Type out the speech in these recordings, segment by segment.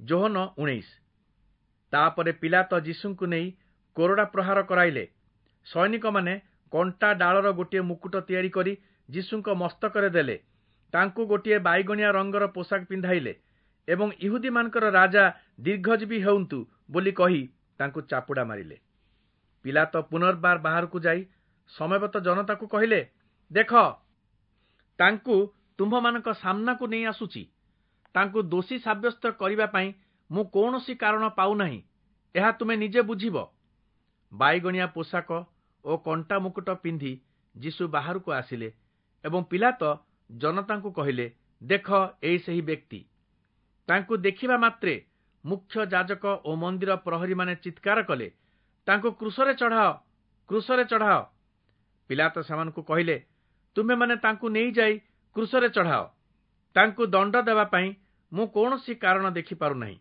ଯୋହନ 19। ତାପରେ ପିଲାତ ଯୀଶୁଙ୍କୁ ନେଇ କୋରଡ଼ା ପ୍ରହାର କରାଇଲେ। ସୈନିକମାନେ କଣ୍ଟା ଡାଳର ଗୋଟିଏ ମୁକୁଟ ତିଆରି କରି ଯୀଶୁଙ୍କ ମସ୍ତକରେ ଦେଲେ। ତାଙ୍କୁ ଗୋଟିଏ ବାଇଗଣିଆ ରଙ୍ଗର ପୋଷାକ ପିନ୍ଧାଇଲେ ଏବଂ ଇହୁଦୀମାନଙ୍କର ରାଜା ଦୀର୍ଘଜୀବୀ ହେଉନ୍ତୁ ବୋଲି କହି ତାଙ୍କୁ ଚାପୁଡ଼ା ମାରିଲେ। ପିଲାତ ପୁନର୍ବାର ବାହାରକୁ ଯାଇ ସମବେତ ଜନତାକୁ କହିଲେ, ଦେଖ, ତାଙ୍କୁ ତୁମ୍ଭମାନଙ୍କ ସାମ୍ନାକୁ ନେଇ ଆସୁଛି। ତାଙ୍କୁ ଦୋଷୀ ସାବ୍ୟସ୍ତ କରିବା ପାଇଁ ମୁଁ କୌଣସି କାରଣ ପାଉନାହିଁ, ଏହା ତୁମେ ନିଜେ ବୁଝିବ। ବାଇଗଣିଆ ପୋଷାକ ଓ କଣ୍ଟା ମୁକୁଟ ପିନ୍ଧି ଯୀଶୁ ବାହାରକୁ ଆସିଲେ ଏବଂ ପିଲାତ ଜନତାଙ୍କୁ କହିଲେ, ଦେଖ, ଏଇ ସେହି ବ୍ୟକ୍ତି। ତାଙ୍କୁ ଦେଖିବା ମାତ୍ରେ ମୁଖ୍ୟ ଯାଜକ ଓ ମନ୍ଦିର ପ୍ରହରୀମାନେ ଚିତ୍କାର କଲେ, ତାଙ୍କୁ କ୍ରୁଶରେ ଚଢ଼ାଅ, କ୍ରୁଶରେ ଚଢ଼ାଅ। ପିଲାତ ସେମାନଙ୍କୁ କହିଲେ, ତୁମେମାନେ ତାଙ୍କୁ ନେଇଯାଇ କ୍ରୁଶରେ ଚଢ଼ାଅ। ତାଙ୍କୁ ଦଣ୍ଡ ଦେବା ପାଇଁ ମୁଁ କୌଣସି କାରଣ ଦେଖିପାରୁନାହିଁ।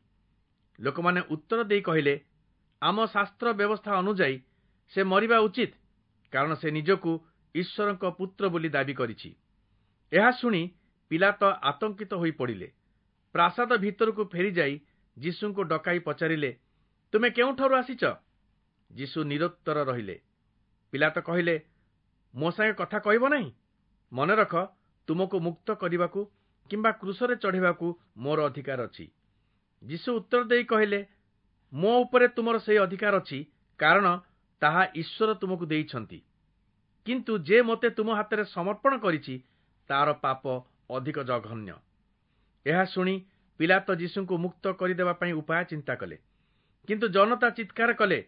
ଲୋକମାନେ ଉତ୍ତର ଦେଇ କହିଲେ, ଆମ ଶାସ୍ତ୍ର ବ୍ୟବସ୍ଥା ଅନୁଯାୟୀ ସେ ମରିବା ଉଚିତ, କାରଣ ସେ ନିଜକୁ ଈଶ୍ୱରଙ୍କ ପୁତ୍ର ବୋଲି ଦାବି କରିଛି। ଏହା ଶୁଣି ପିଲାତ ଆତଙ୍କିତ ହୋଇପଡ଼ିଲେ। ପ୍ରାସାଦ ଭିତରକୁ ଫେରିଯାଇ ଯୀଶୁଙ୍କୁ ଡକାଇ ପଚାରିଲେ, ତୁମେ କେଉଁଠାରୁ ଆସିଛ? ଯୀଶୁ ନିରୁତ୍ତର ରହିଲେ। ପିଲାତ କହିଲେ, ମୋ ସାଙ୍ଗେ କଥା କହିବ ନାହିଁ? ମନେ ରଖ, ତୁମକୁ ମୁକ୍ତ କରିବାକୁ କିମ୍ବା କ୍ରୁଶରେ ଚଢ଼ିବାକୁ ମୋର ଅଧିକାର ଅଛି। ଯୀଶୁ ଉତ୍ତର ଦେଇ କହିଲେ, ମୋ ଉପରେ ତୁମର ସେହି ଅଧିକାର ଅଛି, କାରଣ ତାହା ଈଶ୍ୱର ତୁମକୁ ଦେଇଛନ୍ତି। କିନ୍ତୁ ଯେ ମୋତେ ତୁମ ହାତରେ ସମର୍ପଣ କରିଛି, ତାର ପାପ ଅଧିକ ଜଘନ୍ୟ। ଏହା ଶୁଣି ପିଲାତ ଯୀଶୁଙ୍କୁ ମୁକ୍ତ କରିଦେବା ପାଇଁ ଉପାୟ ଚିନ୍ତା କଲେ। କିନ୍ତୁ ଜନତା ଚିତ୍କାର କଲେ,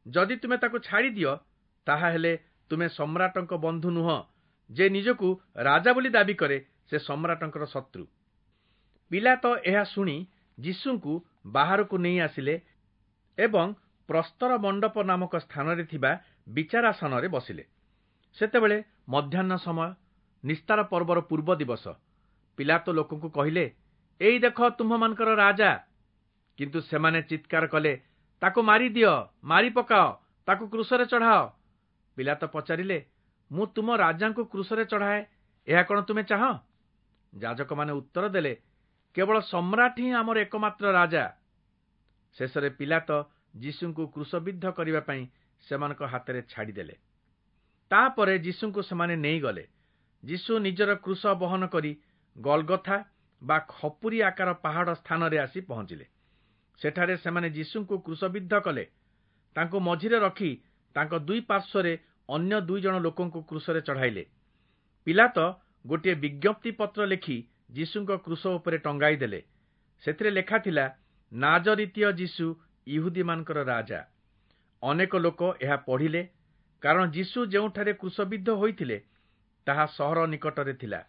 ଯଦି ତୁମେ ତାକୁ ଛାଡ଼ିଦିଅ, ତାହାହେଲେ ତୁମେ ସମ୍ରାଟଙ୍କ ବନ୍ଧୁ ନୁହଁ। ଯେ ନିଜକୁ ରାଜା ବୋଲି ଦାବି କରେ, ସେ ସମ୍ରାଟଙ୍କର ଶତ୍ରୁ। ପିଲାତ ଏହା ଶୁଣି ଯୀଶୁଙ୍କୁ ବାହାରକୁ ନେଇ ଆସିଲେ ଏବଂ ପ୍ରସ୍ତର ମଣ୍ଡପ ନାମକ ସ୍ଥାନରେ ଥିବା ବିଚାରାସନରେ ବସିଲେ। ସେତେବେଳେ ମଧ୍ୟାହ୍ନ ସମୟ, ନିସ୍ତାର ପର୍ବର ପୂର୍ବ ଦିବସ। ପିଲାତ ଲୋକଙ୍କୁ କହିଲେ, ଏଇ ଦେଖ ତୁମ୍ଭମାନଙ୍କର ରାଜା। କିନ୍ତୁ ସେମାନେ ଚିତ୍କାର କଲେ, ତାକୁ ମାରିଦିଅ, ମାରି ପକାଅ, ତାକୁ କ୍ରୁଶରେ ଚଢ଼ାଅ। ପିଲାତ ପଚାରିଲେ, ମୁଁ ତୁମ ରାଜାଙ୍କୁ କ୍ରୁଶରେ ଚଢ଼ାଏ, ଏହା କଣ ତୁମେ ଚାହଁ? ଯାଜକମାନେ ଉତ୍ତର ଦେଲେ, କେବଳ ସମ୍ରାଟ ହିଁ ଆମର ଏକମାତ୍ର ରାଜା। ଶେଷରେ ପିଲାତ ଯୀଶୁଙ୍କୁ କ୍ରୁଶବିଦ୍ଧ କରିବା ପାଇଁ ସେମାନଙ୍କ ହାତରେ ଛାଡ଼ିଦେଲେ। ତାପରେ ଯୀଶୁଙ୍କୁ ସେମାନେ ନେଇଗଲେ। ଯୀଶୁ ନିଜର କ୍ରୁଶ ବହନ କରି ଗଲଗଥା ବା ଖପୁରୀ ଆକାର ପାହାଡ଼ ସ୍ଥାନରେ ଆସି ପହଞ୍ଚିଲେ। ସେଠାରେ ସେମାନେ ଯୀଶୁଙ୍କୁ କ୍ରୁଶବିଦ୍ଧ କଲେ। ତାଙ୍କୁ ମଝିରେ ରଖି ତାଙ୍କ ଦୁଇ ପାର୍ଶ୍ୱରେ ଅନ୍ୟ 2 ଜଣ ଲୋକଙ୍କୁ କ୍ରୁଶରେ ଚଢ଼ାଇଲେ। ପିଲାତ ଗୋଟିଏ ବିଜ୍ଞପ୍ତି ପତ୍ର ଲେଖି ଯୀଶୁଙ୍କ କ୍ରୁଶ ଉପରେ ଟଙ୍ଗାଇ ଦେଲେ। ସେଥିରେ ଲେଖା ଥିଲା, ନାଜରିତୀୟ ଯୀଶୁ ଇହୁଦୀମାନଙ୍କର ରାଜା। ଅନେକ ଲୋକ ଏହା ପଢ଼ିଲେ, କାରଣ ଯୀଶୁ ଯେଉଁଠାରେ କ୍ରୁଶବିଦ୍ଧ ହୋଇଥିଲେ ତାହା ସହର ନିକଟରେ ଥିଲା।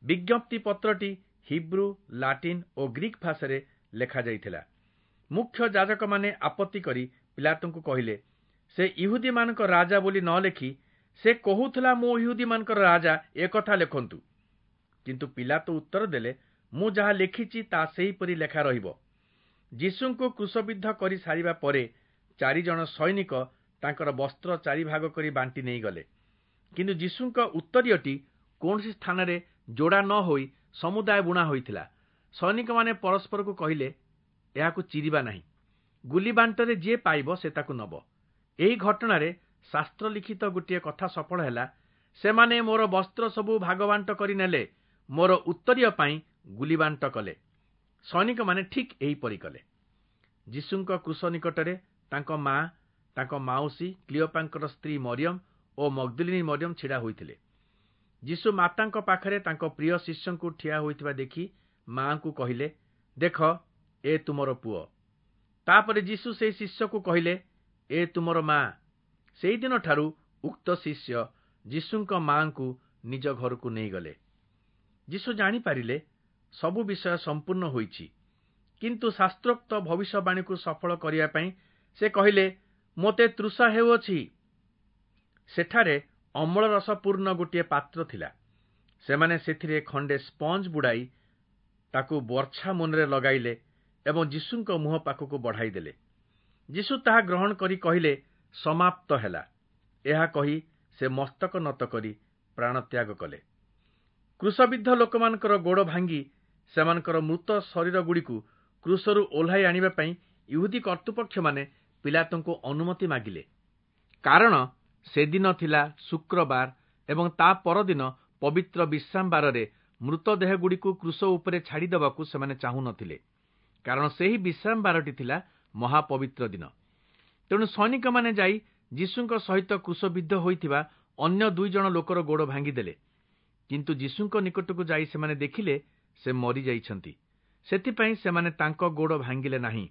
ବିଜ୍ଞପ୍ତି ପତ୍ରଟି ହିବ୍ରୁ, ଲାଟିନ୍ ଓ ଗ୍ରୀକ୍ ଭାଷାରେ ଲେଖାଯାଇଥିଲା। ମୁଖ୍ୟ ଯାଜକମାନେ ଆପତ୍ତି କରି ପିଲାତଙ୍କୁ କହିଲେ, ସେ ଇହୁଦୀମାନଙ୍କ ରାଜା ବୋଲି ନ ଲେଖି ସେ କହୁଥିଲା ମୁଁ ଇହୁଦୀମାନଙ୍କର ରାଜା, ଏକଥା ଲେଖନ୍ତୁ। କିନ୍ତୁ ପିଲାତ ଉତ୍ତର ଦେଲେ, ମୁଁ ଯାହା ଲେଖିଛି ତା ସେହିପରି ଲେଖା ରହିବ। ଯୀଶୁଙ୍କୁ କ୍ରୁଶବିଦ୍ଧ କରି ସାରିବା ପରେ 4 ଜଣ ସୈନିକ ତାଙ୍କର ବସ୍ତ୍ର 4 ଭାଗ କରି ବାଣ୍ଟି ନେଇଗଲେ। କିନ୍ତୁ ଯୀଶୁଙ୍କ ଉତ୍ତରୀୟଟି କୌଣସି ସ୍ଥାନରେ ଯୋଡ଼ା ନ ହୋଇ ସମୁଦାୟ ବୁଣା ହୋଇଥିଲା। ସୈନିକମାନେ ପରସ୍ପରକୁ କହିଲେ, ଏହାକୁ ଚିରିବା ନାହିଁ, ଗୁଲି ବାଣ୍ଟରେ ଯିଏ ପାଇବ ସେ ତାକୁ ନେବ। ଏହି ଘଟଣାରେ ଶାସ୍ତ୍ର ଲିଖିତ ଗୋଟିଏ କଥା ସଫଳ ହେଲା, ସେମାନେ ମୋର ବସ୍ତ୍ର ସବୁ ଭାଗବାଣ୍ଟ କରି ନେଲେ, ମୋର ଉତ୍ତରୀୟ ପାଇଁ ଗୁଲି ବାଣ୍ଟ କଲେ। ସୈନିକମାନେ ଠିକ୍ ଏହିପରି କଲେ। ଯୀଶୁଙ୍କ କ୍ରୁଶ ନିକଟରେ ତାଙ୍କ ମା, ତାଙ୍କ ମାଉସୀ କ୍ଲିଓପାଙ୍କର ସ୍ତ୍ରୀ ମରିୟମ ଓ ମଗ୍ଦଲିନୀ ମରିୟମ ଛିଡ଼ା ହୋଇଥିଲେ। ଯୀଶୁ ମାତାଙ୍କ ପାଖରେ ତାଙ୍କ ପ୍ରିୟ ଶିଷ୍ୟଙ୍କୁ ଠିଆ ହୋଇଥିବା ଦେଖି ମାଆଙ୍କୁ କହିଲେ, ଦେଖ, ଏ ତୁମର ପୁଅ। ତାପରେ ଯୀଶୁ ସେହି ଶିଷ୍ୟକୁ କହିଲେ, ଏ ତୁମର ମା। ସେହିଦିନଠାରୁ ଉକ୍ତ ଶିଷ୍ୟ ଯୀଶୁଙ୍କ ମାଆଙ୍କୁ ନିଜ ଘରକୁ ନେଇଗଲେ। ଯୀଶୁ ଜାଣିପାରିଲେ ସବୁ ବିଷୟ ସମ୍ପୂର୍ଣ୍ଣ ହୋଇଛି, କିନ୍ତୁ ଶାସ୍ତ୍ରୋକ୍ତ ଭବିଷ୍ୟବାଣୀକୁ ସଫଳ କରିବା ପାଇଁ ସେ କହିଲେ, ମୋତେ ତୃଷା ହେଉଅଛି। ସେଠାରେ ଅମ୍ଳରସପୂର୍ଣ୍ଣ ଗୋଟିଏ ପାତ୍ର ଥିଲା। ସେମାନେ ସେଥିରେ ଖଣ୍ଡେ ସ୍ପଞ୍ଜ ବୁଡ଼ାଇ ତାକୁ ବର୍ଚ୍ଛା ମୁନରେ ଲଗାଇଲେ ଏବଂ ଯୀଶୁଙ୍କ ମୁହଁ ପାଖକୁ ବଢ଼ାଇଦେଲେ। ଯୀଶୁ ତାହା ଗ୍ରହଣ କରି କହିଲେ, ସମାପ୍ତ ହେଲା। ଏହା କହି ସେ ମସ୍ତକ ନତ କରି ପ୍ରାଣତ୍ୟାଗ କଲେ। କ୍ରୁଶବିଦ୍ଧ ଲୋକମାନଙ୍କର ଗୋଡ଼ ଭାଙ୍ଗି ସେମାନଙ୍କର ମୃତ ଶରୀରଗୁଡ଼ିକୁ କ୍ରୁଶରୁ ଓହ୍ଲାଇ ଆଣିବା ପାଇଁ ଇହୁଦୀ କର୍ତ୍ତୃପକ୍ଷମାନେ ପିଲାତଙ୍କୁ ଅନୁମତି ମାଗିଲେ। କାରଣ ସେଦିନ ଥିଲା ଶୁକ୍ରବାର ଏବଂ ତା ପରଦିନ ପବିତ୍ର ବିଶ୍ରାମବାରରେ ମୃତଦେହଗୁଡ଼ିକୁ କ୍ରୁଶ ଉପରେ ଛାଡ଼ିଦେବାକୁ ସେମାନେ ଚାହୁଁନଥିଲେ, କାରଣ ସେହି ବିଶ୍ରାମବାରଟି ଥିଲା ମହାପବିତ୍ର ଦିନ। ତେଣୁ ସୈନିକମାନେ ଯାଇ ଯୀଶୁଙ୍କ ସହିତ କ୍ରୁଶବିଦ୍ଧ ହୋଇଥିବା ଅନ୍ୟ 2 ଜଣ ଲୋକର ଗୋଡ଼ ଭାଙ୍ଗିଦେଲେ। କିନ୍ତୁ ଯୀଶୁଙ୍କ ନିକଟକୁ ଯାଇ ସେମାନେ ଦେଖିଲେ ସେ ମରିଯାଇଛନ୍ତି, ସେଥିପାଇଁ ସେମାନେ ତାଙ୍କ ଗୋଡ଼ ଭାଙ୍ଗିଲେ ନାହିଁ।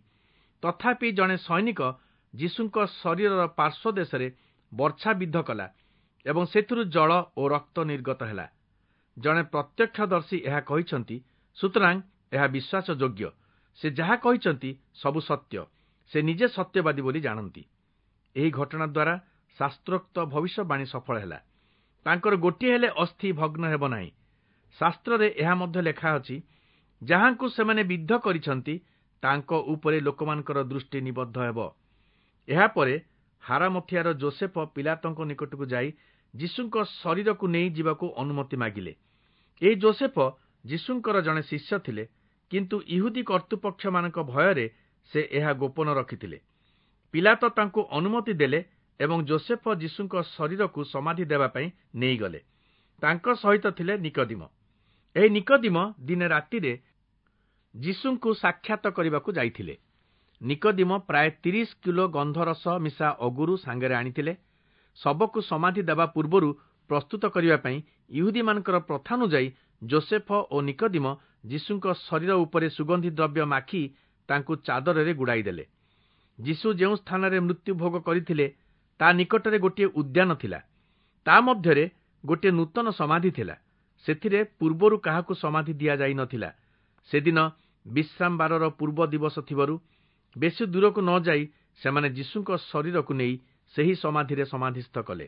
ତଥାପି ଜଣେ ସୈନିକ ଯୀଶୁଙ୍କ ଶରୀରର ପାର୍ଶ୍ୱ ଦେଶରେ ବର୍ଚ୍ଛା ବିଦ୍ଧ କଲା ଏବଂ ସେଥିରୁ ଜଳ ଓ ରକ୍ତ ନିର୍ଗତ ହେଲା। ଜଣେ ପ୍ରତ୍ୟକ୍ଷଦର୍ଶୀ ଏହା କହିଛନ୍ତି, ସୁତରାଂ ଏହା ବିଶ୍ୱାସଯୋଗ୍ୟ। ସେ ଯାହା କହିଛନ୍ତି ସବୁ ସତ୍ୟ, ସେ ନିଜେ ସତ୍ୟବାଦୀ ବୋଲି ଜାଣନ୍ତି। ଏହି ଘଟଣା ଦ୍ୱାରା ଶାସ୍ତ୍ରୋକ୍ତ ଭବିଷ୍ୟବାଣୀ ସଫଳ ହେଲା, ତାଙ୍କର ଗୋଟିଏ ହେଲେ ଅସ୍ଥି ଭଗ୍ନ ହେବ ନାହିଁ। ଶାସ୍ତ୍ରରେ ଏହା ମଧ୍ୟ ଲେଖା ଅଛି, ଯାହାଙ୍କୁ ସେମାନେ ବିଦ୍ଧ କରିଛନ୍ତି ତାଙ୍କ ଉପରେ ଲୋକମାନଙ୍କର ଦୃଷ୍ଟି ନିବଦ୍ଧ ହେବ। ଏହାପରେ ହାରାମଥିଆର ଜୋସେଫ ପିଲାତଙ୍କ ନିକଟକୁ ଯାଇ ଯୀଶୁଙ୍କ ଶରୀରକୁ ନେଇ ଯିବାକୁ ଅନୁମତି ମାଗିଲେ। ଏହି ଜୋସେଫ ଯୀଶୁଙ୍କର ଜଣେ ଶିଷ୍ୟ ଥିଲେ, କିନ୍ତୁ ଇହୁଦୀ କର୍ତ୍ତୃପକ୍ଷମାନଙ୍କ ଭୟରେ ସେ ଏହା ଗୋପନ ରଖିଥିଲେ। ପିଲାତ ତାଙ୍କୁ ଅନୁମତି ଦେଲେ ଏବଂ ଜୋସେଫ ଯୀଶୁଙ୍କ ଶରୀରକୁ ସମାଧି ଦେବା ପାଇଁ ନେଇଗଲେ। ତାଙ୍କ ସହିତ ଥିଲେ ନିକଦିମ। ଏହି ନିକଦିମ ଦିନେ ରାତିରେ ଯୀଶୁଙ୍କୁ ସାକ୍ଷାତ କରିବାକୁ ଯାଇଥିଲେ। ନିକଦିମ ପ୍ରାୟ 30 କିଲୋ ଗନ୍ଧରସ ମିଶା ଅଗୁରୁ ସାଙ୍ଗରେ ଆଣିଥିଲେ। ଶବକୁ ସମାଧି ଦେବା ପୂର୍ବରୁ ପ୍ରସ୍ତୁତ କରିବା ପାଇଁ ଇହୁଦୀମାନଙ୍କର ପ୍ରଥାନୁଯାୟୀ ଜୋସେଫ ଓ ନିକଦିମ ଯୀଶୁଙ୍କ ଶରୀର ଉପରେ ସୁଗନ୍ଧି ଦ୍ରବ୍ୟ ମାଖି ତାଙ୍କୁ ଚାଦରରେ ଗୁଡ଼ାଇ ଦେଲେ। ଯୀଶୁ ଯେଉଁ ସ୍ଥାନରେ ମୃତ୍ୟୁ ଭୋଗ କରିଥିଲେ ତା ନିକଟରେ ଗୋଟିଏ ଉଦ୍ୟାନ ଥିଲା। ତା ମଧ୍ୟରେ ଗୋଟିଏ ନୂତନ ସମାଧି ଥିଲା। ସେଥିରେ ପୂର୍ବରୁ କାହାକୁ ସମାଧି ଦିଆଯାଇ ନଥିଲା। ସେଦିନ ବିଶ୍ରାମବାରର ପୂର୍ବ ଦିବସ ଥିବାରୁ ବେଶୀ ଦୂରକୁ ନ ଯାଇ ସେମାନେ ଯୀଶୁଙ୍କ ଶରୀରକୁ ନେଇ ସେହି ସମାଧିରେ ସମାଧିସ୍ଥ କଲେ।